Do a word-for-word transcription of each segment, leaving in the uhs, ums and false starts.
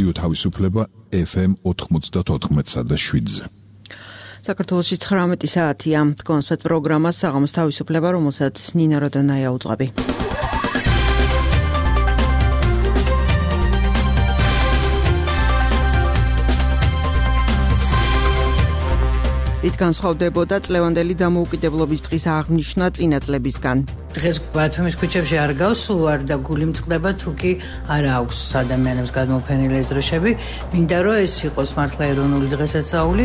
რადიო თავისუფლება ეფ ემ ოთხმოცდაოთხ და შვიდზე. საქართველოში ცხრამეტი საათია. კონსპект პროგრამა საღამოს თავისუფლება, რომელსაც ნინა როდონაია უძღვები. იქ განსხვავდებოდა წლევანდელი დამოუკიდებლობის დღის აღნიშვნა წინა წლებისგან. დღეს ბათუმის ქუჩებში არ გავსულ ვარ და გული მწყდება, თუ კი არ აქვს ადამიანებს გადმოფენილი ეს დროშები. მინდა რომ ეს იყოს მართლა ეროვნული დღესასწაული.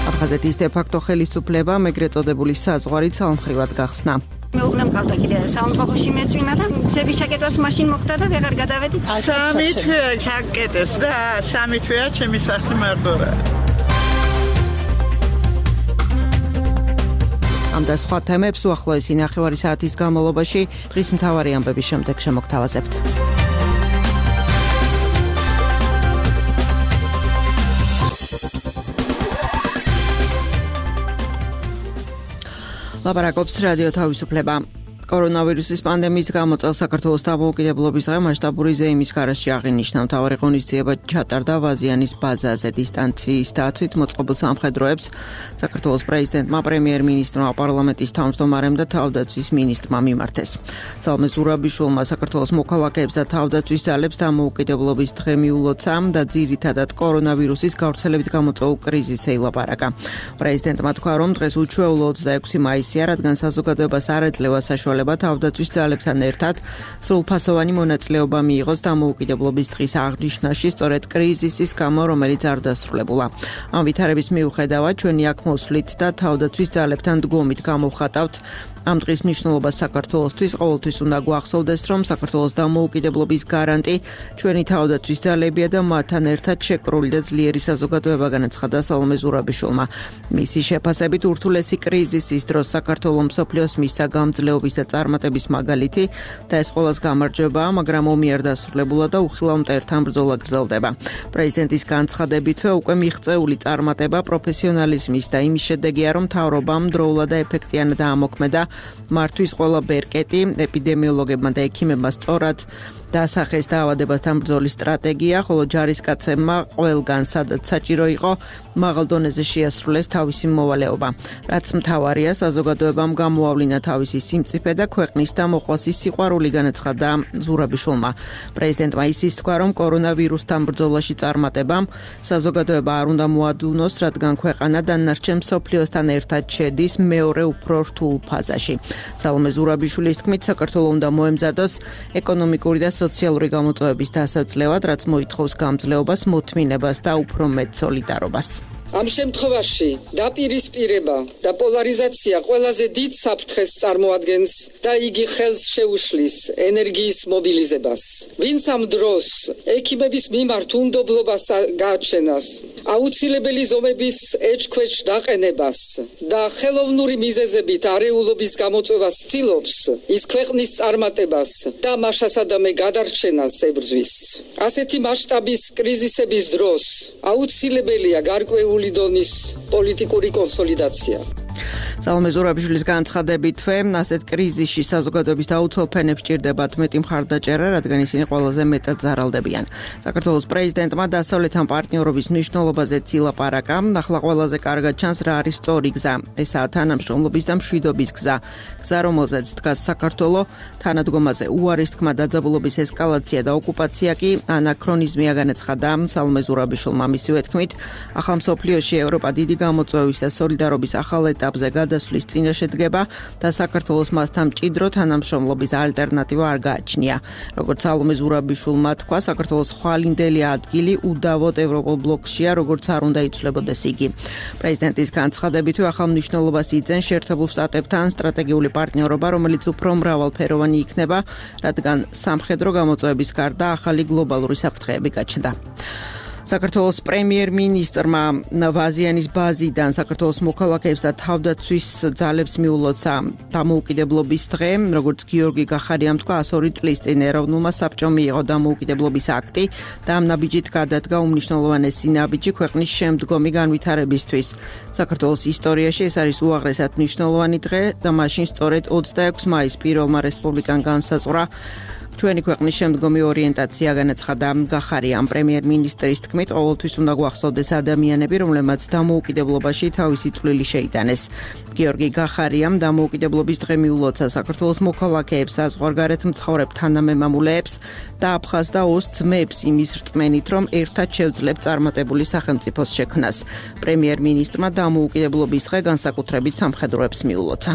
აფხაზეთის დე-ფაქტო ხელისუფლება მეგრე წოდებული საზღვარი ცალმხრივად გახსნა. მეუღლე მყავდა კიდე სამოხოში მეწვინა და ძების ჩაკეტვას მაშინ მოხდა და ვეღარ გადავედი. სამი თვეა ჩაკეტეს და სამი თვეა ჩემი სახლი მარტო რა. ამ და სხვა თემებს უახლოესი ნახევარი საათის განმავლობაში დღის მთავარი ამბების შემდეგ შემოგთავაზებთ. ლაპარაკობს რადიო თავისუფლება. კორონავირუსის პანდემიის გამო წელს საქართველოს დამოუკიდებლობის დღე მასშტაბური ზეიმის გარეშე აღინიშნა. მთავარი ღონისძიება ჩატარდა ვაზიანის ბაზაზე დისტანციის დაცვით მოწყობილ სამხედროებს საქართველოს პრეზიდენტმა, პრემიერ-მინისტრმა, პარლამენტის თავმჯდომარემ და თავდაცვის მინისტრმა მიმართეს. სალმე ზურაბიშვილმა საქართველოს მოქალაქეებს და თავდაცვის ძალებს დამოუკიდებლობის დღე მიულოცა და ძირითადად კორონავირუსის გავრცელებით გამოწვეულ კრიზისზე ილაპარაკა. პრეზიდენტმა თქვა, რომ დღეს უჩვეულო ოცდაექვსი მაისია, რადგან საზოგადოებას არ ეძლევა საშუალება თავდაცვის ძალებთან ერთად სრულფასოვანი მონაწილეობა მიიღოს დამოუკიდებლობის დღის აღნიშვნაში, სწორედ კრიზისის გამო, რომელიც არ დასრულებულა. ამ ვითარების მიუხედავად ჩვენი აქ მოსვლით და თავდაცვის ძალებთან დგომით გამოვხატავთ ამ დღის მნიშვნელობას საქართველოსთვის. ყოველთვის უნდა გვახსოვდეს, რომ საქართველოს დამოუკიდებლობის გარანტი ჩვენი თავდაცვის ძალებია და მათთან ერთად შეკრული და ძლიერი საზოგადოება, განაცხადა სალომე ზურაბიშვილმა. მისი შეფასებით ურთულესი კრიზისის დროს საქართველოს მსოფლიოს მისცა გამძლეობის და წარმატების მაგალითი და ეს ყველას გამარჯვებაა, მაგრამ ომი არ დასრულებულა და უხილავ მტერთან ბრძოლა გრძელდება. პრეზიდენტის განცხადებითვე უკვე მიღწეული წარმატება პროფესიონალიზმის და იმის შედეგია, რომ მთავრობამ დროულად და ეფექტიანად ამოქმედა მართვის ყველა ბერკეტი, ეპიდემიოლოგებმა და ექიმებმა სწორად დასახეს დაავადებასთან ბრძოლის სტრატეგია, ხოლო ჯარისკაცებმა ყველგან სადაც საჭირო იყო მაღალ დონეზე შეასრულეს თავისი მოვალეობა. რაც მთავარია, საზოგადოებამ გამოავლინა თავისი სიმწიფე და ქვეყნის და მოყვასის სიყვარული, განაცხადა ზურაბიშვილმა. პრეზიდენტმა ისიც თქვა, რომ კორონავირუსთან ბრძოლაში წარმატებამ საზოგადოება არ უნდა მოადუნოს, რადგან ქვეყანა დანარჩენ მსოფლიოსთან ერთად შედის მეორე უფრო რთულ ფაზაში. სალომე ზურაბიშვილის თქმით, საქართველოს უნდა მოემზადოს ეკონომიკური და სოციალური გამოწვევების დასაძლევად, რაც მოითხოვს გამძლეობას, მოთმინებას და უფრო მეტ სოლიდარობას. ამ შემთხვევაში დაპირისპირება და პოლარიზაცია ყველაზე დიდ საფრთხეს წარმოადგენს და იგი ხელს შეუშლის ენერგიის მობილიზებას. ვინც ამ დროს ექიმების მიმართ უნდობლობას გააჩენას, აუცილებელი ზომების ეჭქვეჭ დაყენებას და ხელოვნური მიზეზებით არეულობის გამოწვევას ცდილობს, ის ქვეყნის წარმატებას და მაშასადამე გადარჩენას ებრძვის. ასეთი მასშტაბის კრიზისების დროს აუცილებელია გარკვეული დონის პოლიტიკური კონსოლიდაცია. სალომე ზურაბიშვილის განცხადებითვე, ასეთ კრიზისში საზოგადოების დაუცველ ფენებს ჭირდებათ მეტი მხარდაჭერა, რადგან ისინი ყველაზე მეტად ზარალდებიან. საქართველოს პრეზიდენტმა დასავლეთთან პარტნიორობის მნიშვნელობაზეც ილაპარაკა. ახლა ყველაზე კარგად ჩანს რა არის სწორი გზა. ესაა თანამშრომლობის და მშვიდობის გზა. გზა, რომელზეც დგას საქართველო, თანადგომაზე უარის თქმა, დაძაბულობის ესკალაცია და ოკუპაცია კი ანაქრონიზმია, განაცხადა სალომე ზურაბიშვილმა. მისივე თქმით, ახალ მსოფლიოში ევროპა დიდი გამოწვევის და სოლიდარობის ახალ ეტაპზე გადასვლის წინაშე დგება და საქართველოს მასთან მჭიდრო თანამშრომლობის ალტერნატივა არ გააჩნია. როგორც სალომე ზურაბიშვილმა თქვა, საქართველოს ხვალინდელი ადგილი უდავოდ ევროპულ ბლოკშია, როგორც არ უნდა იცვლებოდეს იგი. პრეზიდენტის განცხადებითვე ახალ მნიშვნელობას იძენს შეერთებულ შტატებთან სტრატეგიული პარტნიორობა, რომელიც უფრო მრავალფეროვანი იქნება, რადგან სამხედრო გამოწვევების გარდა ახალი გლობალური საფრთხეები გაჩნდა. საქართველოს პრემიერ-მინისტრმა ვაზიანის ბაზიდან საქართველოს მოქალაქეებს და თავდაცვის ძალებს მიულოცა დამოუკიდებლობის დღე, როგორც გიორგი გახარიამ თქვა, ასორი წლის წინ ეროვნულმა საბჭომ მიიღო დამოუკიდებლობის აქტი და ამ ნაბიჯით გადადგა უმნიშვნელოვანესი ნაბიჯი ქვეყნის შემდგომი განვითარებისთვის. საქართველოს ისტორიაში ეს არის უაღრესად მნიშვნელოვანი დღე და მაშინ სწორედ ოცდაექვსი მაისს პირველმა რესპუბლიკამ განსაზღვრა ჩვენი ქვეყნის შემდგომი ორიენტაცია, განაცხადა გახარიამ. პრემიერ-მინისტრის თქმით, ყოველთვის უნდა გვახსოვდეს ადამიანები, რომლებმაც დამოუკიდებლობაში თავისი წვლილი შეიტანეს. გიორგი გახარიამ დამოუკიდებლობის დღე მიულოცა საქართველოს მოქალაქეებს, საზღვარგარეთ მცხოვრებ თანამემამულეებს და აფხაზ და ოს ძმებს იმის რწმენით, რომ ერთად შევძლებთ წარმატებული სახელმწიფოს შექმნას. პრემიერ-მინისტრმა დამოუკიდებლობის დღე განსაკუთრებით სამხედროებს მიულოცა.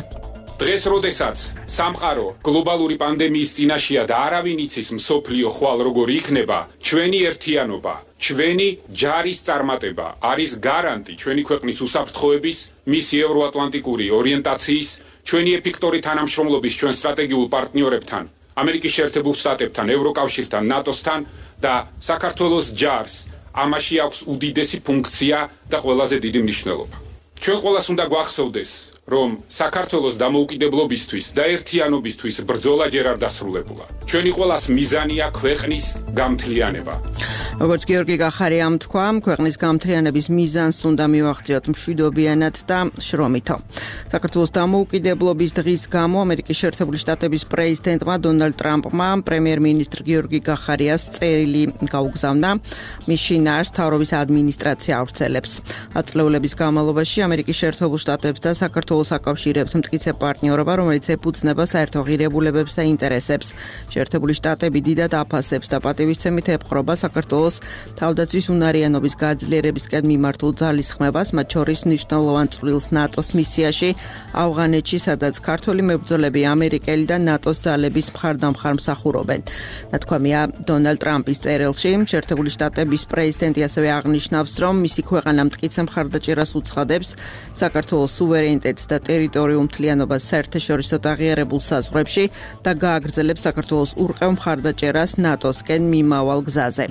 დღეს, როდესაც სამყარო გლობალური პანდემიის წინაშეა და არავინ იცის მსოფლიო ხვალ როგორ იქნება, ჩვენი ერთიანობა, ჩვენი ჯარის წარმატება არის გარანტი ჩვენი ქვეყნის უსაფრთხოების, მისი ევროატლანტიკური ორიენტაციის, ჩვენი ეფექტური თანამშრომლობის ჩვენ სტრატეგიულ პარტნიორებთან, ამერიკის შეერთებულ შტატებთან, ევროკავშირთან, ნატოსთან და საქართველოს ჯარს ამაში აქვს უდიდესი ფუნქცია და ყველაზე დიდი მნიშვნელობა. ჩვენ ყველას უნდა გვახსოვდეს, რომ საქართველოს დამოუკიდებლობისთვის და ერთიანობისთვის ბრძოლა ჯერ არ დასრულებულა. ჩვენი ყველას მიზანია ქვეყნის გამთლიანება. როგორც გიორგი გახარიამ თქვა, ქვეყნის გამთლიანების მიზანს უნდა მივახციოთ მშვიდობიანად და შრომითო. საქართველოს დამოუკიდებლობის დღის გამო ამერიკის შეერთებული შტატების პრეზიდენტმა დონალდ ტრამპმა პრემიერ-მინისტრ გიორგი გახარიას წერილი გაუგზავნა. მის შინაარს მთავრობის ადმინისტრაცია ავრცელებს. ათწლეულების განმავლობაში ამერიკის შეერთებულ შტატებს და საქართველოს აკავშირებთ მტკიცე პარტნიორობა, რომელიც ეფუძნება საერთო ღირებულებებს და ინტერესებს. შეერთებული შტატები დიდად აფასებს და პატივისცემით ეპყრობა საქართველოს თავდაცვის უნარიანობის გაძლიერებისკენ მიმართულ ძალისხმევას, მათ შორის მნიშვნელოვან წვლილს ნატოს მისიაში ავღანეთში, სადაც ქართველი მებრძოლები ამერიკელი და ნატოს ძალების მხარდამხარ მსახურობენ. ნათქვამია დონალდ ტრამპის წერილში. შეერთებული შტატების პრეზიდენტი ასევე აღნიშნავს, რომ მისი ქვეყანა მტკიცე მხარდაჭერას უცხადებს საქართველოს სუვერენიტეტს და ტერიტორიულ მთლიანობას საერთაშორისო აღიარებულ საზღვრებში და გააგრძელებს საქართველოს ურყევ მხარდაჭერას ნატოსკენ მიმავალ გზაზე.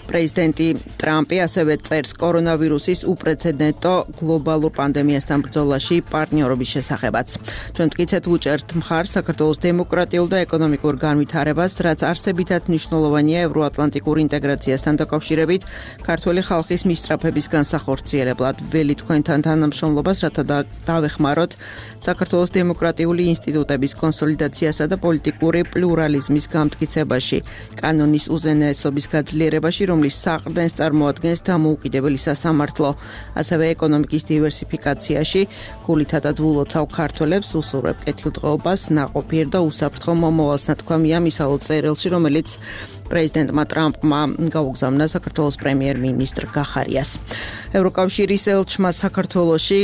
პრეზიდენტი ტრამპი ასევე წერს კორონავირუსის უპრეცედენტო გლობალურ პანდემიასთან ბრძოლაში პარტნიორობის შესახებაც. ჩვენ მტკიცედ ვუჭერთ მხარს საქართველოს დემოკრატიულ და ეკონომიკურ განვითარებას, რაც არსებითად მნიშვნელოვანია ევროატლანტიკურ ინტეგრაციასთან დაკავშირებით ქართველი ხალხის მისწრაფების განსახორციელებლად. ველი თქვენთან თანამშრომლობას, რათა დავეხმაროთ საქართველოს დემოკრატიული ინსტიტუტების კონსოლიდაციასა და პოლიტიკური პლურალიზმის გამტკიცებაში, კანონის უზენაესობის გაძლიერებაში, რომლის საყრდენს წარმოადგენს დამოუკიდებელი სასამართლო, ასევე ეკონომიკის დივერსიფიკაციაში. გულითადად ვულოცავ ქართველებს, უსურვებ კეთილდღეობას, ნაყოფიერ და უსაფრთხო მომავალს, ნათქვამია მისალო წერილში, რომელიც პრეზიდენტმა ტრამპმა გაუგზავნა საქართველოს პრემიერ-მინისტრ გახარიას. ევროკავშირის ელჩმა საქართველოში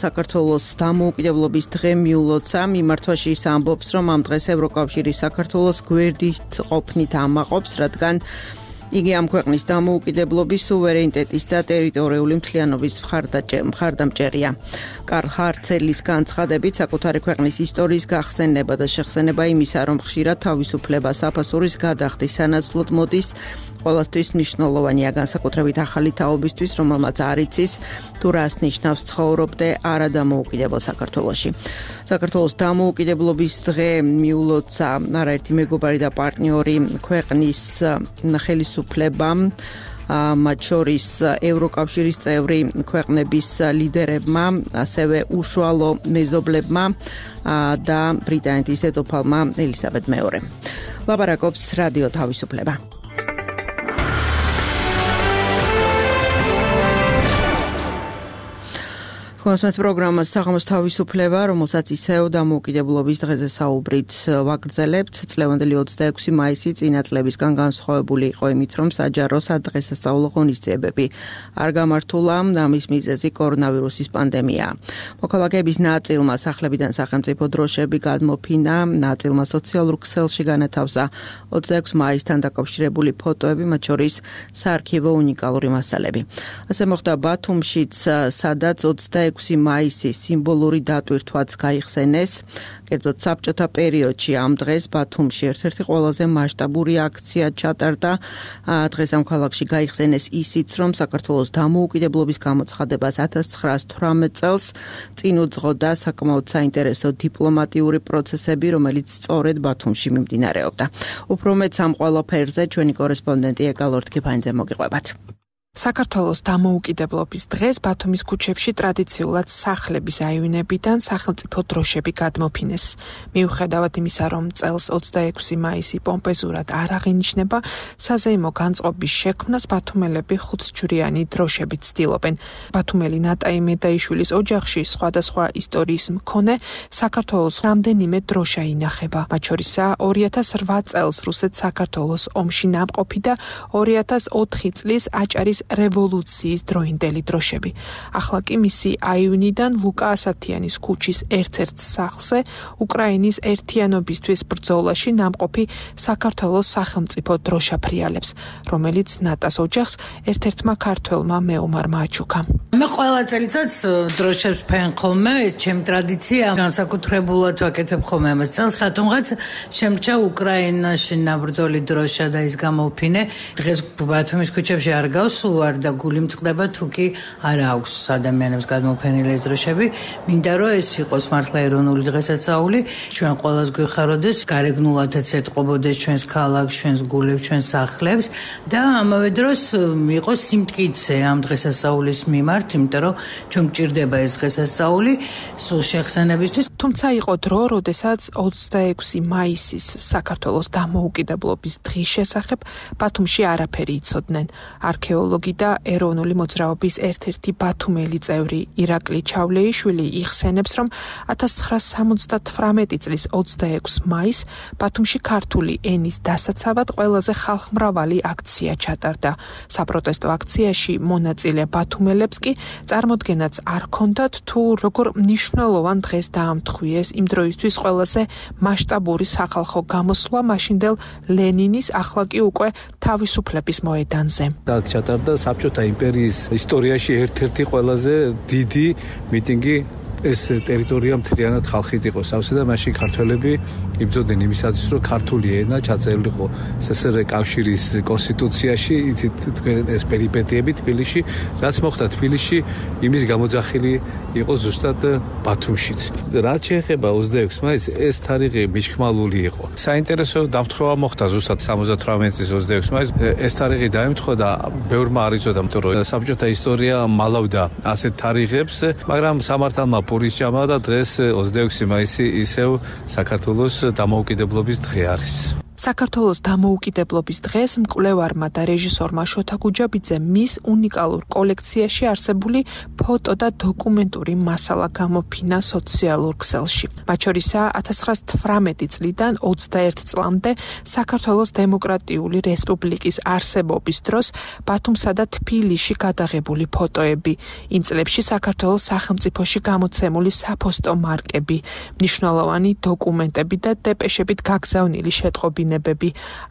საქართველოს დამოუკიდებლობის დღე მიულოცა. მიმართვაში ის ამბობს, რომ ამ დღეს ევროკავშირი საქართველოს გვერდით ყოფნით ამაყობს, რადგან იგი ამ ქვეყნის დამოუკიდებლობის, სუვერენიტეტის და ტერიტორიული მთლიანობის მხარდამჭერია. კარლ ჰარცელის განცხადებით, საკუთარი ქვეყნის ისტორიის გახსენება და შეხსენება იმისა, რომ ხშირად თავისუფლება საფასურის გადახდის სანაცვლოდ მოდის, ყველასთვის მნიშვნელოვანია, განსაკუთრებით ახალი თაობისთვის, რომელმაც არ იცის თუ რას ნიშნავს ცხოვრობდე არადამოუკიდებელ საქართველოში. საქართველოს დამოუკიდებლობის დღე მიულოცა არაერთი მეგობარი და პარტნიორი ქვეყნის ხელისუფლებამ, მათ შორის ევროკავშირის წევრი ქვეყნების ლიდერებმა, ასევე უშუალო მეზობლებმა და ბრიტანეთის დედოფალმა ელისაბედ მეორემ. ლაპარაკობს რადიო თავისუფლება. Კონსმეთ პროგრამას საღამოს თავისუფლება, რომელსაც ისევ დამოუკიდებლობის დღეზე საუბრით ვაგრძელებთ. წლევანდელი ოცდაექვსი მაისი წინა წლებისგან განსხვავებული იყო იმით, რომ საჯარო სადღესასწაულო ღონისძიებები არ გამართულა, ამის მიზეზი კორონავირუსის პანდემია. მოქალაქეების ნაწილმა სახლებიდან სახელმწიფო დროშები გადმოფინა, ნაწილმა სოციალურ ქსელში განათავსა ოცდაექვსი მაისთან დაკავშირებული ფოტოები, მათ შორის საარქივო უნიკალური მასალები. ასე მოხდა ბათუმშიც, სადაც ოცდაექვსი ოცდაექვსი მაისის სიმბოლური დატვირთვაც გაიხსენეს. კერძოდ საბჭოთა პერიოდში ამ დღეს ბათუმში ერთ-ერთი ყველაზე მასშტაბური აქცია ჩატარდა. დღეს ამ ქალაქში გაიხსენეს ისიც, რომ საქართველოს დამოუკიდებლობის გამოცხადებას ათას ცხრაას თვრამეტ წელს წინ უძღოდა საკმაოდ საინტერესო დიპლომატიური პროცესები, რომელიც სწორედ ბათუმში მიმდინარეობდა. უფრო მეც ამ ყველაფერზე ჩვენი კორესპონდენტი ეკალორთ კიფანიძე მოგიყვებათ. საქართველოს დამოუკიდებლობის დღეს ბათუმის ქუჩებში ტრადიციულად სახლების აივნებიდან სახელმწიფო დროშები გადმოფინეს. მიუხედავად იმისა, რომ წელს ოცდაექვსი მაისი პომპეზურად არ აღინიშნება, საზეიმო განწყობის შექმნას ბათუმელები ხუთჯვრიანი დროშებით ცდილობენ. ბათუმელი ნატაი მედაიშვილის ოჯახში სხვადასხვა ისტორიის მქონე საქართველოს რამდენიმე დროშა ინახება. მათ შორისაა ორი ათას რვა წელს რუსეთ-საქართველოს ომში ნამყოფი და ორი ათას ოთხი წლის აჭარის რევოლუციის დროინდელი დროშები. ახლა კი მისი აივნიდან ლუკა ასათიანის ქუჩის ერთ-ერთ სახლზე უკრაინის ერთიანობისთვის ბრძოლაში ნამყოფი საქართველოს სახელმწიფო დროშა ფრიალებს, რომელიც ნატას ოჯახს ერთ-ერთმა ქართველმა მეომარმა აჩუქა. მე ყველა წელიწადს დროშებს ფენ ხოლმე, ეს ჩემი ტრადიცია, განსაკუთრებულად ვაკეთებ ხოლმე ამას წელს, რატომღაც შემრჩა უკრაინაში ნაბრძოლი დროშა და ის გამოვფინე. დღეს ბათუმის ქუჩებში არ გავსულ ვარ და გული მწყდება, თუ კი არა აქვს ადამიანებს გადმოფენილი ეს დროშები. მინდა რომ ეს იყოს მართლა ეროვნული დღესასწაული, ჩვენ ყველას გვიხაროდეს, გარეგნულადაც ეტყობოდეს ჩვენს ქალაქს, ჩვენს გულებს, ჩვენს სახლებს და ამავე დროს იყოს სიმტკიცე ამ დღესასწაულის მიმართ, იმიტომ რომ ჩვენ გვჭირდება ეს დღესასწაული სულ შეხსენებისთვის. თუმცა იყო დრო, როდესაც ოცდაექვსი მაისის საქართველოს დამოუკიდებლობის დღის შესახებ ბათუმში არაფერი იცოდნენ. არქეოლოგი და ეროვნული მოძრაობის ერთ-ერთი ბათუმელი წევრი ირაკლი ჩავლეიშვილი იხსენებს, რომ ათას ცხრაას სამოცდათვრამეტი წლის ოცდაექვსი მაისს ბათუმში ქართული ენის დასაცავად ყველაზე ხალხმრავალი აქცია ჩატარდა. საპროტესტო აქციაში მონაწილე ბათუმელებს კი წარმოდგენაც არ ჰქონდათ, თუ როგორ მნიშვნელოვან დღეს დაამთხვიეს იმ დროისთვის ყველაზე მასშტაბური სახალხო გამოსვლა მაშინდელ ლენინის, ახლა კი უკვე თავისუფლების მოედანზე. აქ ჩატარდა საბჭოთა იმპერიის ისტორიაში ერთ-ერთი ყველაზე დიდი მიტინგი. ეს ტერიტორია მთლიანად ხალხით იყო სავსე და მაშინ ქართველები იბრძოდნენ იმისათვის, რომ ქართული ენა ჩაწერილიყო სსრ კავშირის კონსტიტუციაში. იცით თქვენ ეს პერიპეტიები თბილისში, რაც მოხდა თბილისში, იმის გამოძახილი იყო ზუსტად ბათუმშიც. რაც შეეხება ოცდაექვსი მაისს, ეს თარიღი მიჩქმალული იყო. საინტერესო დამთხოვა მოხდა ზუსტად სამოცდათვრამეტი წლის ოცდაექვსი მაისს. ეს თარიღი დაემთხვა და ბევრმა არ იცოდა, იმიტომ რომ საბჭოთა ისტორია მალავდა ასეთ თარიღებს, მაგრამ სამართალმა პურის ჭამა და დღეს ოცდაექვსი მაისი ისევ საქართველოს დამოუკიდებლობის დღე არის. საქართველოს დამოუკიდებლობის დღეს მკვლევარმა და რეჟისორმა შოთა გუჯაბიძემ მის უნიკალურ კოლექციაში არსებული ფოტო და დოკუმენტური მასალა გამოფინა სოციალურ ქსელში. მათ შორისაა ათას ცხრაას თვრამეტი წლიდან ოცდაერთი წლამდე საქართველოს დემოკრატიული რესპუბლიკის არსებობის დროს ბათუმსა და თბილისში გადაღებული ფოტოები. იმ წლებში საქართველოს სახელმწიფოში გამოცემული საფოსტო მარკები, მნიშვნელოვანი დოკუმენტები და დეპეშებით გაგზავნილი შეტყობინებები.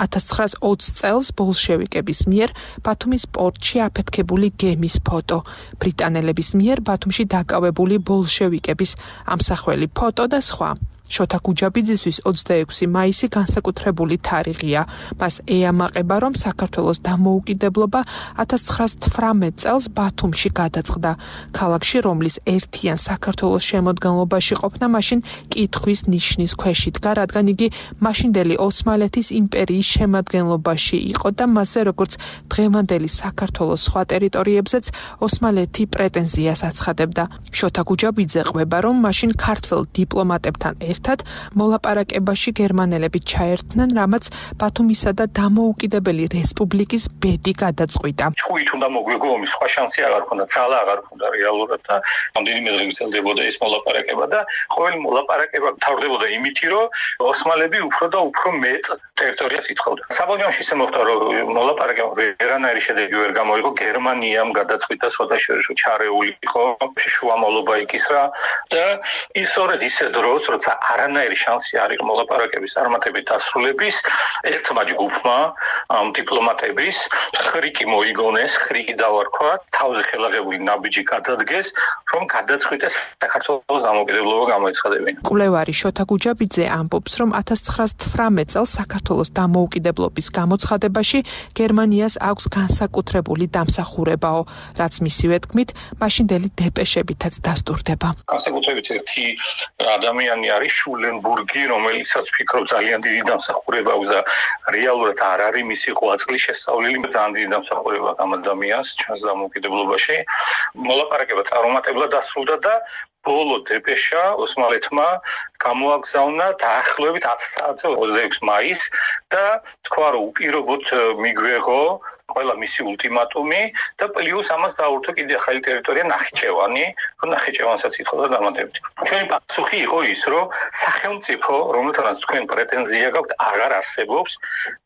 ათას ცხრაას ოცი წელს ბოლშევიკების მიერ ბათუმის პორტში აფეთქებული გემის ფოტო, ბრიტანელების მიერ ბათუმში დაკავებული ბოლშევიკების ამსახველი ფოტო და სხვა. შოთა გუჯაბიძისთვის ოცდაექვსი მაისი განსაკუთრებული თარიღია. მას ეამაყება, რომ საქართველოს დამოუკიდებლობა ათას ცხრაას თვრამეტ წელს ბათუმში გადაწყდა. ქალაქში, რომლის ერთიან საქართველოს შემოდგენლობაში ყოფნა მაშინ კითხვის ნიშნის ქვეშ იდგა, რადგან იგი მაშინდელი ოსმალეთის იმპერიის შემადგენლობაში იყო და მასზე, როგორც დღევანდელი საქართველოს სხვა ტერიტორიებზეც ოსმალეთი პრეტენზიას აცხადებდა. შოთა გუჯაბიძე ყვება, რომ მაშინ ქართველ დიპლომატებთან ერთ ერთად მოლაპარაკებაში გერმანელები ჩაერთნენ, რამაც ბათუმისა და დამოუკიდებელი რესპუბლიკის ბედი გადაწყვიტა. ჩხუით უნდა მოგვიგო ომის, სხვა შანსი აღარ ქონდა, ძალა აღარ ქონდა რეალურად და რამდენიმე დღე გრძელდებოდა ეს მოლაპარაკება და ყოველი მოლაპარაკება თავდებოდა იმით, რომ ოსმალები უფრო და უფრო მეტ ტერიტორიას ითხოვდა. საბოლოოში ისე მოხდა, რომ მოლაპარაკება ვერანაირი შედეგი ვერ გამოიღო, გერმანიამ გადაწყვიტა სხვადასხვა ჩარეული იყო, შუამავლობა იკისრა და ის სწორედ ისე დროს, როცა არანაირი შანსი არ იყო მოლაპარაკების წარმატებით დასრულების, ერთმა ჯგუფმა ამ დიპლომატების ხრიკი მოიგონეს, ხრიკი დავარქვა, თავზე ხელაღებული ნაბიჯი გადადგეს, რომ გადაწყვიტეს საქართველოს დამოუკიდებლობა გამოეცხადებინა. კვლევარი შოთა გუჯაბიძე ამბობს, რომ ათას ცხრაას თვრამეტ წელს საქართველოს დამოუკიდებლობის გამოცხადებაში გერმანიას აქვს განსაკუთრებული დამსახურებაო, რაც მისივე თქმით, მაშინდელი დეპეშებითაც დასტურდება. განსაკუთრებით ერთი ადამიანი არის შულენბურგი, რომელიცაც ფიქრობ ძალიან დიდი დამსახურება აქვს და რეალურად არ არის მისი ღვაწლი შესწავლილი, ძალიან დიდი დამსახურება ამ ადამიანს ჩანს დამოუკიდებლობაში. მოლაპარაკება წარუმატებლად დასრულდა და ბოლო დეპეშა ოსმალეთმა გამოაგზავნა დაახლოებით ათი საათზე ოცდაექვსი მაისს და თქვა რომ უპირობოდ მიგვეღო ყველა მისი ულტიმატუმი და პლუს ამას დაურთო კიდე ახალი ტერიტორია ნახიჩევანი, რომ ნახიჩევანსაც ითხოვდა დამატებით. ჩვენი პასუხი იყო ის, რომ სახელმწიფო, რომელთანაც თქვენ პრეტენზია გაქვთ, აღარ არსებობს,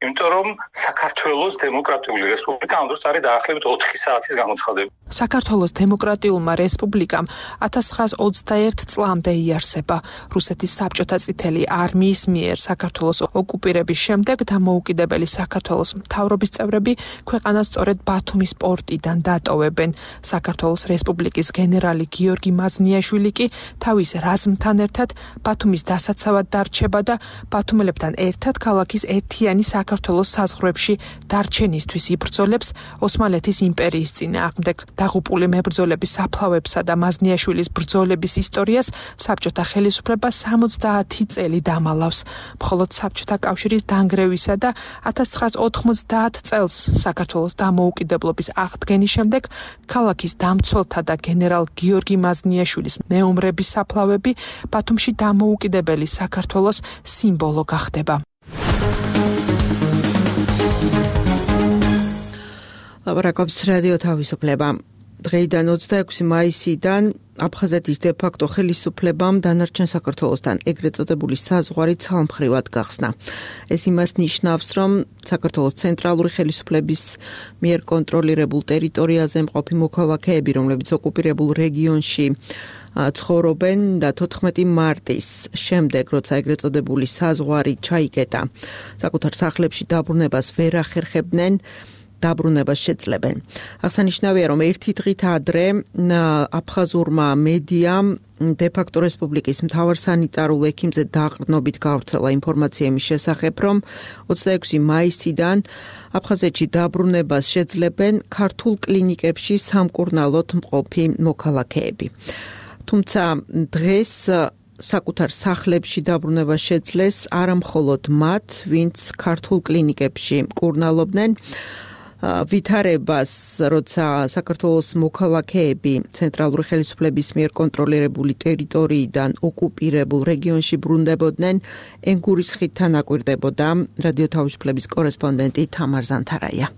იმიტომ რომ საქართველოს დემოკრატიული რესპუბლიკა ამ დროს არის დაახლოებით ოთხი საათის გამოცხადება. საქართველოს დემოკრატიულმა რესპუბლიკამ ათას ცხრაას ოცდაერთი წლამდე იარსება. რუსეთის საბჭოთა წითელი არმიის მიერ საქართველოს ოკუპირების შემდეგ დამოუკიდებელი საქართველოს მთავრობის წევრები ქვეყანას სწორედ ბათუმის პორტიდან დატოვებენ. საქართველოს რესპუბლიკის გენერალი გიორგი მაზნიაშვილი კი თავის რაზმთან ერთად ბათუმის დასაცავად დარჩება და ბათუმელებთან ერთად ქალაქის ერთიანი საქართველოს საზღვრებში დარჩენისთვის იბრძოლებს ოსმალეთის იმპერიის წინააღმდეგ. დაღუპული მებრძოლების საფლავებსა და მაზნიაშვილის ბრძოლების ისტორიას საბჭოთა ხელისუფლება სამოცდაათი წელი დამალავს. მხოლოდ საბჭოთა კავშირის დანგრევისა და ათას ცხრაას ოთხმოცდაათ წელს საქართველოს დამოუკიდებლობის აღდგენის შემდეგ ქალაქის დამცველთა და გენერალ გიორგი მაზნიაშვილის მეომრების საფლავები ბათუმში დამოუკიდებელი საქართველოს სიმბოლო გახდება. ლაპარაკობს რადიო თავისუფლება. დღეიდან ოცდაექვსი მაისიდან აფხაზეთის დე-ფაქტო ხელისუფლებამ დანარჩენ საქართველოსთან ეგრეთ წოდებული საზღვარი ცალმხრივად გახსნა. ეს იმას ნიშნავს, რომ საქართველოს ცენტრალური ხელისუფლების მიერ კონტროლირებულ ტერიტორიაზე მყოფი მოქალაქეები, რომლებიც ოკუპირებულ რეგიონში ცხოვრობენ და თოთხმეტი მარტის შემდეგ, როცა ეგრეთ წოდებული საზღვარი ჩაიკეტა, საკუთარ სახლებში დაბრუნებას ვერ ახერხებდნენ, დაბრუნებას შეძლებენ. აღსანიშნავია, რომ ერთი დღით ადრე აფხაზურმა მედიამ დე-ფაქტო რესპუბლიკის მთავარ სანიტარულ ექიმზე დაყრდნობით გავრცელა ინფორმაცია იმის შესახებ, რომ ოცდაექვსი მაისიდან აფხაზეთში დაბრუნებას შეძლებენ ქართულ კლინიკებში სამკურნალოდ მყოფი მოქალაქეები. თუმცა დღეს საკუთარ სახლებში დაბრუნება შეძლეს არა მხოლოდ მათ, ვინც ქართულ კლინიკებში მკურნალობდნენ, ვითარებას, როცა საქართველოს მოქალაქეები ცენტრალური ხელისუფლების მიერ კონტროლირებული ტერიტორიიდან ოკუპირებულ რეგიონში ბრუნდებოდნენ, ენგურის ხიდთან აკვირდებოდა რადიო თავისუფლების კორესპონდენტი თამარ ზანთარაია.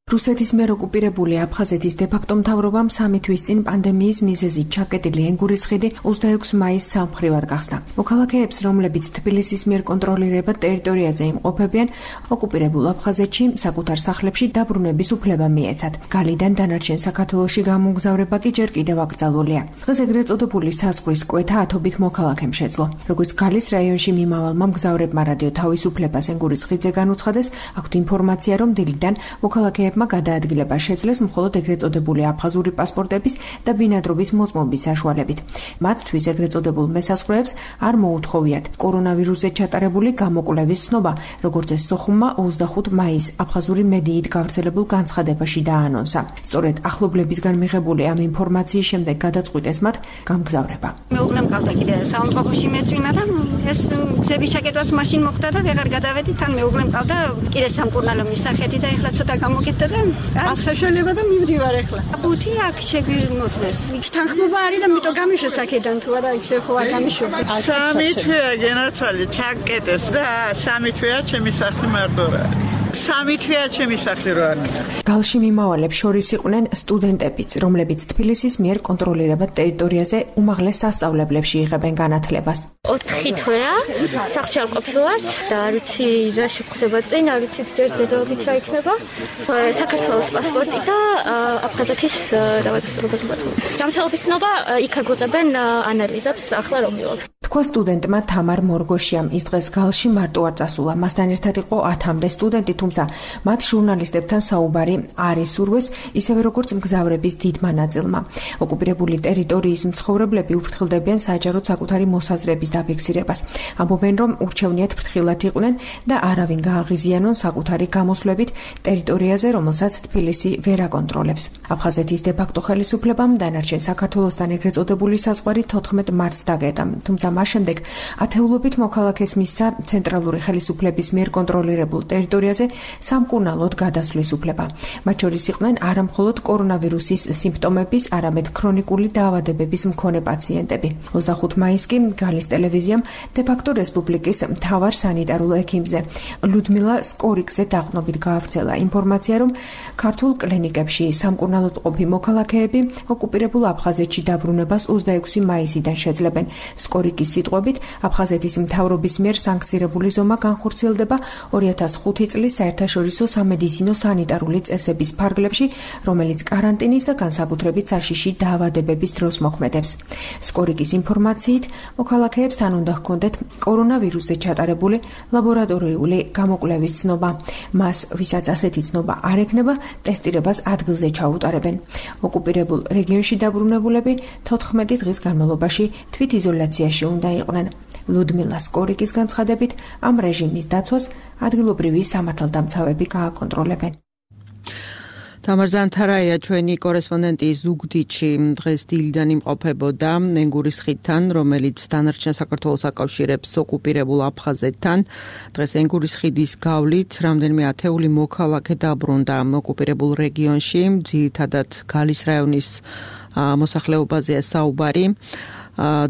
რუსეთის მიერ ოკუპირებული აფხაზეთის დე-ფაქტო მთავრობამ სამი თვის წინ პანდემიის მიზეზით ჩაკეტილი ენგურის ხიდი ოცდაექვსი მაისს სამმხრივად გახსნა. მოქალაქეებს, რომლებიც თბილისის მიერ კონტროლირებად ტერიტორიაზე იმყოფებიან, ოკუპირებულ აფხაზეთში საკუთარ სახლებში დაბრუნების უფლება მიეცათ. გალიდან დანარჩენ საქართველოში გამოგზავრება კი ჯერ კიდევ აკრძალულია. დღეს ეგრეთ წოდებული საზღვრის კვეთა ათობით მოქალაქემ შეძლო. როგორც გალის რაიონში მიმავალმა მგზავრებმა რადიო თავისუფლებას ენგურის ხიდზე განუცხადეს, აქვთ ინფორმაცია, რომ დილიდან მოქალაქეებმა გადაადგილება შეძლეს მხოლოდ ეგრეთ წოდებული აფხაზური პასპორტების და ბინადრობის მოწმობის საშუალებით. მათთვის ეგრეთ წოდებულ მესაზღვრეებს არ მოუთხოვიათ კორონავირუსზე ჩატარებული გამოკვლევის ცნობა, როგორც ეს სოხუმმა ოცდახუთი მაისს აფხაზური მედიით გავრცელებულ განცხადებაში დაანონსა. სწორედ ახლობლებისგან მიღებული ამ ინფორმაციის შემდეგ გადაწყვიტეს მათ გამგზავრება. მეუღლე მყავდა კიდე საუნდტროფოში მეწვინა და ეს გზების ჩაკეტვაც მაშინ მოხდა და ვეღარ გადავედი, თან მეუღლე მყავდა კიდე სამკურნალო მისახეთი და ეხლა ცოტა გამოკეთდა. არ საშუალება და მივდივარ ახლა. ბუთი აქ შეგვიმოწმეს. თანხმობა არის და მიტო გამიშვეს აქედან თუ არა ისე ხო არ გამიშვება. სამი თვეა გენაცვალე ჩაკეტეს და სამი თვეა ჩემი სახლი მარტო. სამი თვეა ჩემი სახლი რო არ მიყავ. გალში მიმავალებს შორის იყვნენ სტუდენტებიც, რომლებიც თბილისის მიერ კონტროლირებად ტერიტორიაზე უმაღლეს სასწავლებლებში იღებენ განათლებას. ოთხი თვეა სახლში არ ყოფილვართ და არ ვიცი რა შეხვდება წინ, არ ვიცი ჯერ დედაობით რა იქნება. საქართველოს პასპორტი და აფხაზეთის რეგისტრირებული მოწმობა. ჯანმრთელობის ცნობა იქ აგვიღებენ ანალიზებს ახლა რომ მივიღებ. თქვა სტუდენტმა თამარ მორგოშიამ. ის დღეს გალში მარტო არ წასულა. მასთან ერთად იყო ათამდე სტუდენტი, თუმცა მათ ჟურნალისტებთან საუბარი არ ისურვეს, ისევე როგორც მგზავრების დიდმა ნაწილმა. ოკუპირებული ტერიტორიის მცხოვრებლები უფრთხილდებიან საჯაროდ საკუთარი მოსაზრების დაფიქსირებას. ამბობენ, რომ ურჩევნიათ ფრთხილად იყვნენ და არავინ გააღიზიანონ საკუთარი გამოსვლებით ტერიტორიაზე, რომელსაც თბილისი ვერ აკონტროლებს. აფხაზეთის დე-ფაქტო ხელისუფლებამ დანარჩენ საქართველოსთან ეგრეთ წოდებული საზღვარი თოთხმეტ მარტს დაგეტა. თუმცა მას შემდეგ ათეულობით მოქალაქეს მისცა ცენტრალური ხელისუფლების მიერ კონტროლირებულ ტერიტორიაზე სამკურნალოდ გადასვლის უფლება. მათ შორის იყვნენ არა მხოლოდ კორონავირუსის სიმპტომების, არამედ ქრონიკული დაავადებების მქონე პაციენტები. ოცდახუთი მაისს კი გალის ტელევიზიამ დე-ფაქტო რესპუბლიკის მთავარ სანიტარულ ექიმზე ლუდმილა სკორიკზე დაყრდნობით გაავრცელა ინფორმაცია, რომ ქართულ კლინიკებში სამკურნალოდ ყოფი მოქალაქეები ოკუპირებულ აფხაზეთში დაბრუნებას ოცდაექვსი მაისიდან შეძლებენ. სკორიკის სიტყვებით, აფხაზეთის მთავრობის მიერ სანქცირებული ზომა განხორციელდება ორი ათას ხუთი წლის საერთაშორისო სამედიცინო სანიტარული წესების ფარგლებში, რომელიც კარანტინის და განსაკუთრებით საშიში დაავადებების დროს მოქმედებს. სკორიკის ინფორმაციით, მოქალაქეებს თან უნდა ჰქონდეთ კორონავირუსზე ჩატარებული ლაბორატორიული გამოკვლევის ცნობა. მას, ვისაც ასეთი ცნობა არ ექნება, ტესტირებას ადგილზე ჩაუტარებენ. ოკუპირებულ რეგიონში დაბრუნებულები თოთხმეტი დღის განმავლობაში თვითიზოლაციაში უნდა იყვნენ. ლუდმილა სკორიკის განცხადებით, ამ რეჟიმის დაცვას ადგილობრივი სამართალდამცავები გააკონტროლებენ. თამარ ზანთარაია ჩვენი კორესპონდენტი ზუგდიდში დღეს დილიდან იმყოფებოდა ენგურის ხიდთან, რომელიც დანარჩენ საქართველოს აკავშირებს ოკუპირებულ აფხაზეთთან. დღეს ენგურის ხიდის გავლით რამდენიმე ათეული მოქალაქე დაბრუნდა ოკუპირებულ რეგიონში, ძირითადად გალის რაიონის მოსახლეობაზეა საუბარი.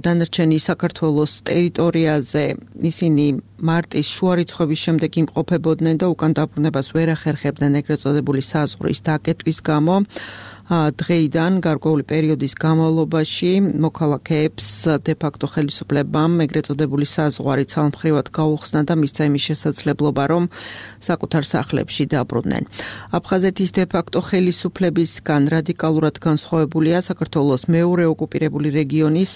დანარჩენი საქართველოს ტერიტორიაზე ისინი მარტის შუარიცხვების შემდეგ იმყოფებოდნენ და უკან დაბრუნებას ვერ ახერხებდნენ ეგრეთ წოდებული საზღვრის დაკეტვის გამო. დღეიდან გარკვეული პერიოდის განმავლობაში მოქალაქეებს დე-ფაქტო ხელისუფლებამ ეგრეთ წოდებული საზღვარი ცალმხრივად გაუხსნა და მისცა იმის შესაძლებლობა, რომ საკუთარ სახლებში დაბრუნდნენ. აფხაზეთის დე-ფაქტო ხელისუფლებისგან რადიკალურად განსხვავებულია საქართველოს მეორე ოკუპირებული რეგიონის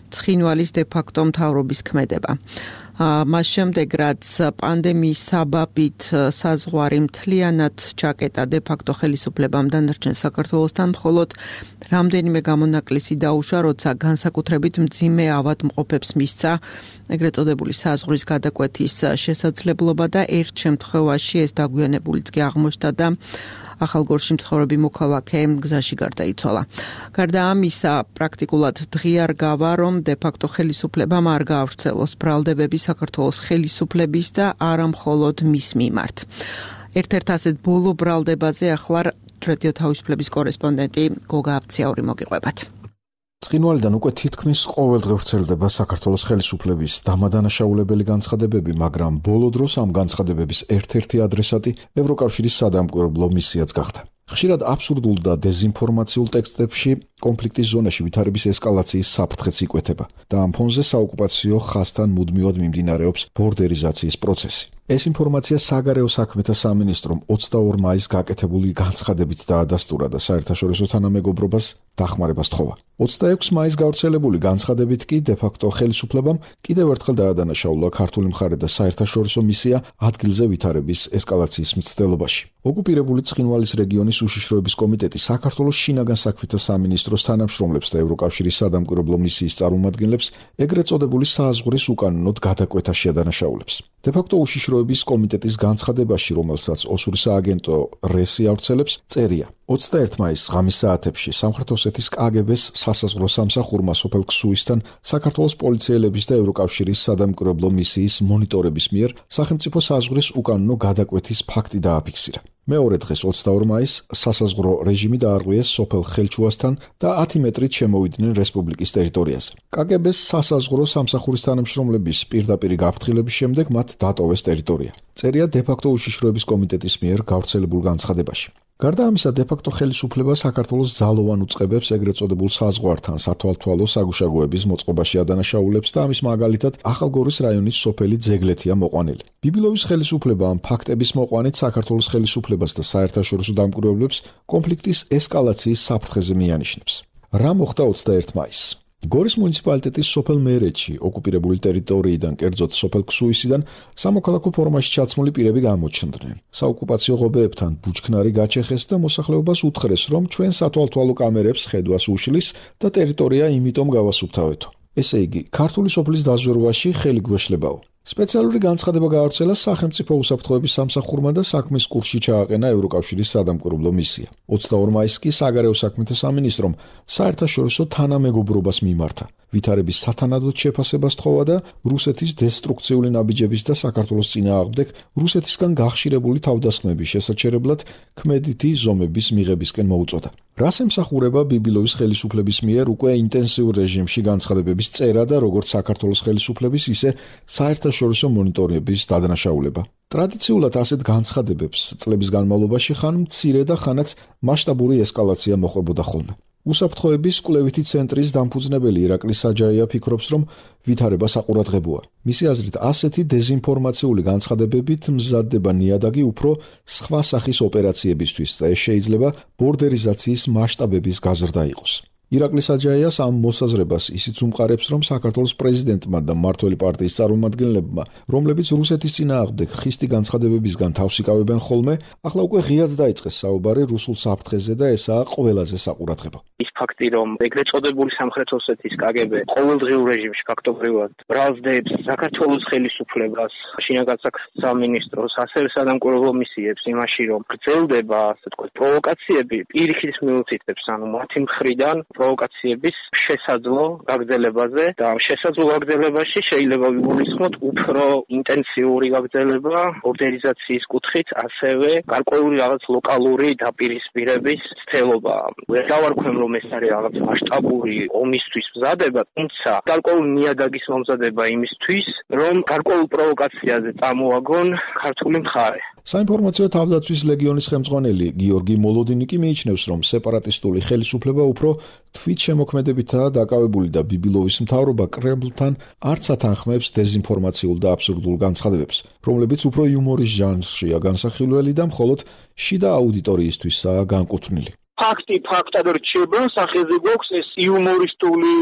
ცხინვალის დე-ფაქტო მთავრობის ქმედება. მას შემდეგ, რაც პანდემიის საბაბით საზღვარი მთლიანად ჩაკეტა დე-ფაქტო ხელისუფლებამ დანარჩენ საქართველოსთან, მხოლოდ რამდენიმე გამონაკლისი დაუშვა, როცა განსაკუთრებით მძიმე ავადმყოფებს მისცა ეგრეთ წოდებული საზღვრის გადაკვეთის შესაძლებლობა და ერთ შემთხვევაში ეს დაგვიანებულიც კი აღმოჩნდა და ახალგორში მცხოვრები მოქალაქე გზაში გარდაიცვალა. გარდა ამისა, პრაქტიკულად დღიარ გავა, რომ დე-ფაქტო ხელისუფლებამ არ გაავრცელოს ბრალდებები საქართველოს ხელისუფლების და არა მხოლოდ მის მიმართ. ერთ-ერთ ასეთ ბოლო ბრალდებაზე ახლა რადიო თავისუფლების კორესპონდენტი გოგა აბციაური მოგიყვებათ. ცხინვალიდან უკვე თითქმის ყოველდღე ვრცელდება საქართველოს ხელისუფლების დამადანაშაულებელი განცხადებები, მაგრამ ბოლო დროს ამ განცხადებების ერთ-ერთი ადრესატი ევროკავშირის სადამკვირვებლო მისიაც გახდა. ხშირად აბსურდულ და დეზინფორმაციულ ტექსტებში კონფლიქტის ზონაში ვითარების ესკალაციის საფრთხეც იკვეთება და ამ ფონზე საოკუპაციო ხაზთან მუდმივად მიმდინარეობს ბორდერიზაციის პროცესი. ეს ინფორმაცია საგარეო საქმეთა სამინისტრომ ოცდაორ მაისს გაკეთებული განცხადებით დაადასტურა და საერთაშორისო თანამეგობრობას დახმარებას თხოვა. ოცდაექვსი მაისს გავრცელებული განცხადებით კი დე-ფაქტო ხელისუფლებამ კიდევ ერთხელ დაადანაშაულა ქართული მხარე და საერთაშორისო მისია ადგილზე ვითარების ესკალაციის მცდელობაში. ოკუპირებული ცხინვალის რეგიონის უშიშროების კომიტეტი საქართველოს შინაგან საქმეთა სამინისტროს თანამშრომლებს და ევროკავშირის სადამკვირვებლო მისიის წარმომადგენლებს ეგრეთ წოდებული საზღვრის უკანონოდ გადაკვეთაში ადანაშაულებს. დე-ფაქტო უშიშროების კომიტეტის განცხადებაში, რომელსაც ოსურის სააგენტო რესი ავრცელებს, წერია: ოცდაერთი მაისს ღამის საათებში სამხრეთ ოსეთის კაგებეს სასაზღვრო სამსახურმა სოფელ ქსუისთან საქართველოს პოლიციელების და ევროკავშირის სადამკვირვებლო მისიის მონიტორების მიერ სახელმწიფო საზღვრის უკანონო გადაკვეთის ფაქტი დააფიქსირა. მეორე დღეს ოცდაორ მაისს სასაზღვრო რეჟიმი დაარღვიეს სოფელ ხელჩუასთან და ათი მეტრით შემოვიდნენ რესპუბლიკის ტერიტორიაზე. კაგებეს სასაზღვრო სამსახურის თანამშრომლების პირდაპირი გაფრთხილების შემდეგ მათ დატოვეს ტერიტორია. წერია დე-ფაქტო უშიშროების კომიტეტის მიერ გავრცელებულ განცხადებაში. გარდა ამისა, დე-ფაქტო ხელისუფლება საქართველოს ძალოვან უწყებებს ეგრეთ წოდებულ საზღვართან სათვალთვალო საგუშაგოების მოწყობაში ადანაშაულებს და ამის მაგალითად ახალგორის რაიონის სოფელი ძეგლეთია მოყვანილი. ბიბილოვის ხელისუფლება ამ ფაქტების მოყვანით საქართველოს ხელისუფლებას და საერთაშორისო დამკვირვებლებს კონფლიქტის ესკალაციის საფრთხეზე მიანიშნებს. რა მოხდა ოცდაერთი მაისს? გორის მუნიციპალიტეტის სოფელ მერეთში ოკუპირებული ტერიტორიიდან, კერძოდ სოფელ ქსუისიდან სამოქალაქო ფორმაში ჩაცმული პირები გამოჩნდნენ. საოკუპაციო ღობეებთან ბუჩქნარი გაჩეხეს და მოსახლეობას უთხრეს, რომ ჩვენ სათვალთვალო კამერებს ხედვას უშლის და ტერიტორია იმიტომ გავასუფთავეთო. ესე იგი, ქართული სოფლის დაზვერვაში ხელი გვეშლებაო. სპეციალური განცხადება გაავრცელა სახელმწიფო უსაფრთხოების სამსახურმა და საქმის კურსში ჩააყენა ევროკავშირის სადამკვირვებლო მისია. ოცდაორ მაისს კი საგარეო საქმეთა სამინისტრომ საერთაშორისო თანამეგობრობას მიმართა. ვითარების სათანადოდ შეფასებას თხოვა და რუსეთის დესტრუქციული ნაბიჯების და საქართველოს წინააღმდეგ რუსეთისგან გახშირებული თავდასხმების შესაჩერებლად ქმედითი ზომების მიღებისკენ მოუწოდა. რას ემსახურება ბიბილოვის ხელისუფლების მიერ უკვე ინტენსიურ რეჟიმში განცხადებების წერა და როგორც საქართველოს ხელისუფლების, ისე საერთაშორისო მონიტორინგის დადანაშაულება. ტრადიციულად ასეთ განცხადებებს წლების განმავლობაში ხან მცირე და ხანაც მასშტაბური ესკალაცია მოყვებოდა ხოლმე. უსაფრთხოების კვლევითი ცენტრის დამფუძნებელი ირაკლი საჯაია ფიქრობს, რომ ვითარება საყურადღებოა. მისი აზრით, ასეთი დეზინფორმაციული განცხადებებით მზადდება ნიადაგი უფრო სხვა სახის ოპერაციებისთვის და ეს შეიძლება ბორდერიზაციის მასშტაბების გაზრდა იყოს. ირაკლი საჯაიას ამ მოსაზრებას ისიც უმყარებს, რომ საქართველოს პრეზიდენტმა და მმართველი პარტიის წარმომადგენლებმა, რომლებიც რუსეთის წინააღმდეგ ხისტი განცხადებებისგან თავს იკავებენ ხოლმე, ახლა უკვე ღიად დაიწყეს საუბარი რუსულ საფრთხეზე და ესაა ყველაზე საყურადღებო. ის ფაქტი, რომ ეგრეთ წოდებული სამხრეთ ოსეთის კაგები ყოველდღიურ რეჟიმში ფაქტობრივად ბრალდებს საქართველოს ხელისუფლებას, შინაგან საქმეთა სამინისტროს, ასევე სადამკვირვებლო მისიებს იმაში, რომ გრძელდება, ასე ვთქვათ, პროვოკაციები პირიქით მიუთითებს, ანუ მათი მხრიდან პროვოკაციების შესაძლო გაგრძელებაზე და ამ შესაძლო გაგრძელებაში შეიძლება ვიგულისხმოთ უფრო ინტენსიური გაგრძელება ორდერიზაციის კუთხით, ასევე გარკვეული რაღაც ლოკალური დაპირისპირების ცდელობა. ვერ დავარქვენ, რომ ეს არის რაღაც მასშტაბური ომისთვის მზადება, თუმცა გარკვეული ნიადაგის მომზადება იმისთვის, რომ გარკვეულ პროვოკაციაზე წამოაგონ ქართული მხარე. საინფორმაციო თავდაცვის ლეგიონის ხელმძღვანელი გიორგი მოლოდინი კი მიიჩნევს, რომ სეპარატისტული ხელისუფლება უფრო თვით შემოქმედებითაა დაკავებული და ბიბილოვის მთავრობა კრემლთან არც ათანხმებს დეზინფორმაციულ და აბსურდულ განცხადებებს, რომლებიც უფრო იუმორის ჟანრშია განსახილველი და მხოლოდ შიდა აუდიტორიისთვისაა განკუთვნილი. ფაქტი ფაქტად რჩება, სახეზე გვაქვს ეს იუმორისტული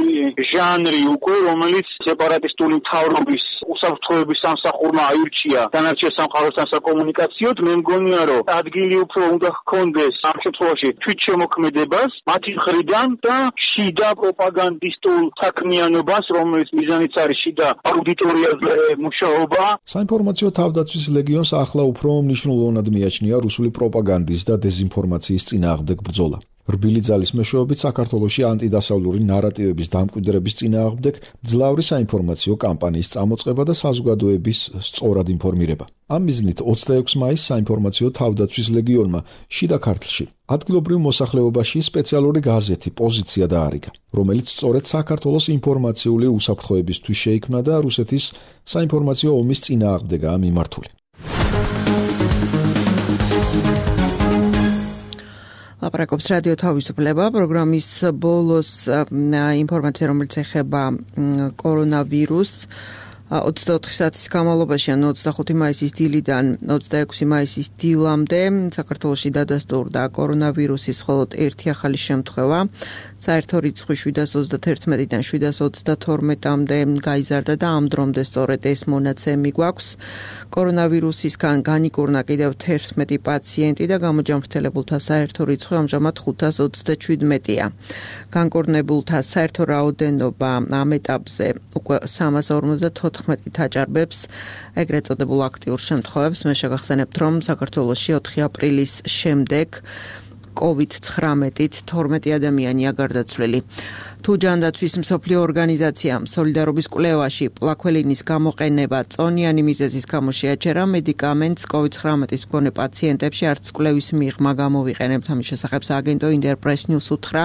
ჟანრი უკვე, რომელიც სეპარატისტული მთავრობის უსაფრთხოების სამსახურმა აირჩია დანარჩენ სამყაროსთან საკომუნიკაციოდ. მე მგონია, რომ ადგილი უფრო უნდა ჰქონდეს ამ შემთხვევაში თვით შემოქმედებას მათი მხრიდან და შიდა პროპაგანდისტულ საქმიანობას, რომელიც მიზანიც არის შიდა აუდიტორიაზე მუშაობა. საინფორმაციო თავდაცვის ლეგიონს ახლა უფრო მნიშვნელოვნად მიაჩნია რუსული პროპაგანდის და დეზინფორმაციის წინააღმდეგ ბრძოლა. რბილი ძალის მეშვეობით საქართველოში ანტიდასავლური ნარატივების დამკვიდრების წინააღმდეგ ძლავრი საინფორმაციო კამპანიის წამოწყება და საზოგადოების სწორად ინფორმირება. ამ მიზნით ოცდაექვსი მაისს საინფორმაციო თავდაცვის ლეგიონმა შიდა ქართლში ადგილობრივ მოსახლეობაში სპეციალური გაზეთი პოზიცია დაარიგა, რომელიც სწორედ საქართველოს ინფორმაციული უსაფრთხოებისთვის შეიქმნა და რუსეთის საინფორმაციო ომის წინააღმდეგაა მიმართული. ლაპარაკობს რადიო თავისუფლება პროგრამის ბოლოს ინფორმაცია, რომელიც ეხება კორონავირუსს. ოცდაოთხი საათის განმავლობაში, ანუ ოცდახუთი მაისის დილიდან ოცდაექვსი მაისის დილამდე საქართველოში დადასტურდა კორონავირუსის მხოლოდ ერთი ახალი შემთხვევა. საერთო რიცხვი შვიდას ოცდათერთმეტიდან შვიდას ოცდათორმეტამდე გაიზარდა და ამ დრომდე სწორედ ეს მონაცემი გვაქვს. კორონავირუსისგან განიკურნა კიდევ თერთმეტი პაციენტი და გამოჯანმრთელებულთა საერთო რიცხვი ამჟამად ხუთას ოცდაჩვიდმეტია. განკურნებულთა საერთო რაოდენობა ამ ეტაპზე უკვე სამას ორმოცდათოთხმეტი აჭარბებს ეგრეთ წოდებულ აქტიურ შემთხვევებს. მე შეგახსენებთ, რომ საქართველოში ოთხი აპრილის შემდეგ კოვიდ ცხრამეტით თორმეტი ადამიანია გარდაცვლილი. თუ ჯანდაცვის მსოფლიო ორგანიზაციამ სოლიდარობის კვლევაში პლაქველინის გამოყენება წონიანი მიზეზის გამო შეაჩერა, მედიკამენტს კოვიდ ცხრამეტის მქონე პაციენტებში არც კვლევის მიღმა გამოვიყენებთ. ამის შესახებ სააგენტო ინტერპრეს ნიუს უთხრა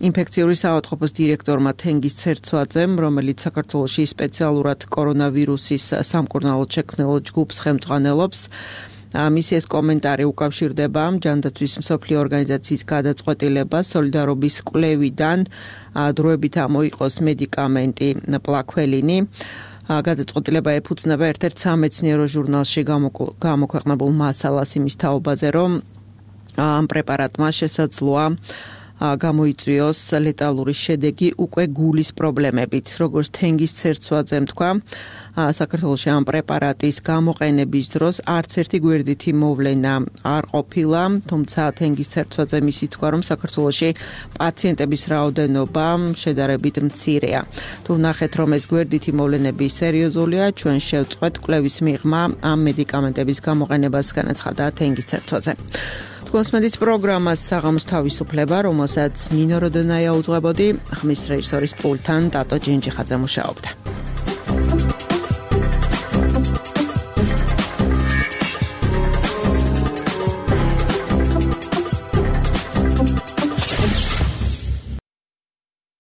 ინფექციური საავადმყოფოს დირექტორმა თენგიზ ცერცვაძემ, რომელიც საქართველოში სპეციალურად კორონავირუსის სამკურნალოდ შექმნილ ჯგუფს ხელმძღვანელობს. მისი ეს კომენტარი უკავშირდება ჯანდაცვის მსოფლიო ორგანიზაციის გადაწყვეტილებას სოლიდარობის კვლევიდან დროებით ამოიყოს მედიკამენტი პლაქველინი. გადაწყვეტილება ეფუძნება ერთ-ერთ სამეცნიერო ჟურნალში გამოქვეყნებულ მასალას იმის თაობაზე, რომ ამ პრეპარატმა შესაძლოა გამოიწვიოს ლეტალური შედეგი უკვე გულის პრობლემებით. როგორც თენგის ცერცვაძემ თქვა, საქართველოში ამ პრეპარატის გამოყენების დროს არც ერთი გვერდითი მოვლენა არ ყოფილა, თუმცა თენგის ცერცვაძე მისი თქვა, რომ საქართველოში პაციენტების რაოდენობა შედარებით მცირეა. თუ ნახეთ, რომ ეს გვერდითი მოვლენები სერიოზულია, ჩვენ შევწყვეტ კვლევის მიღმა ამ მედიკამენტების გამოყენებას, განაცხადა თენგის ცერცვაძე. კონსმედის პროგრამას საღამოს თავისუფლება, რომელსაც ნინო როდონაია უძღვებოდი, ხმის რეჟისორის პულტთან დატო ჯინჯიხაძე მუშაობდა.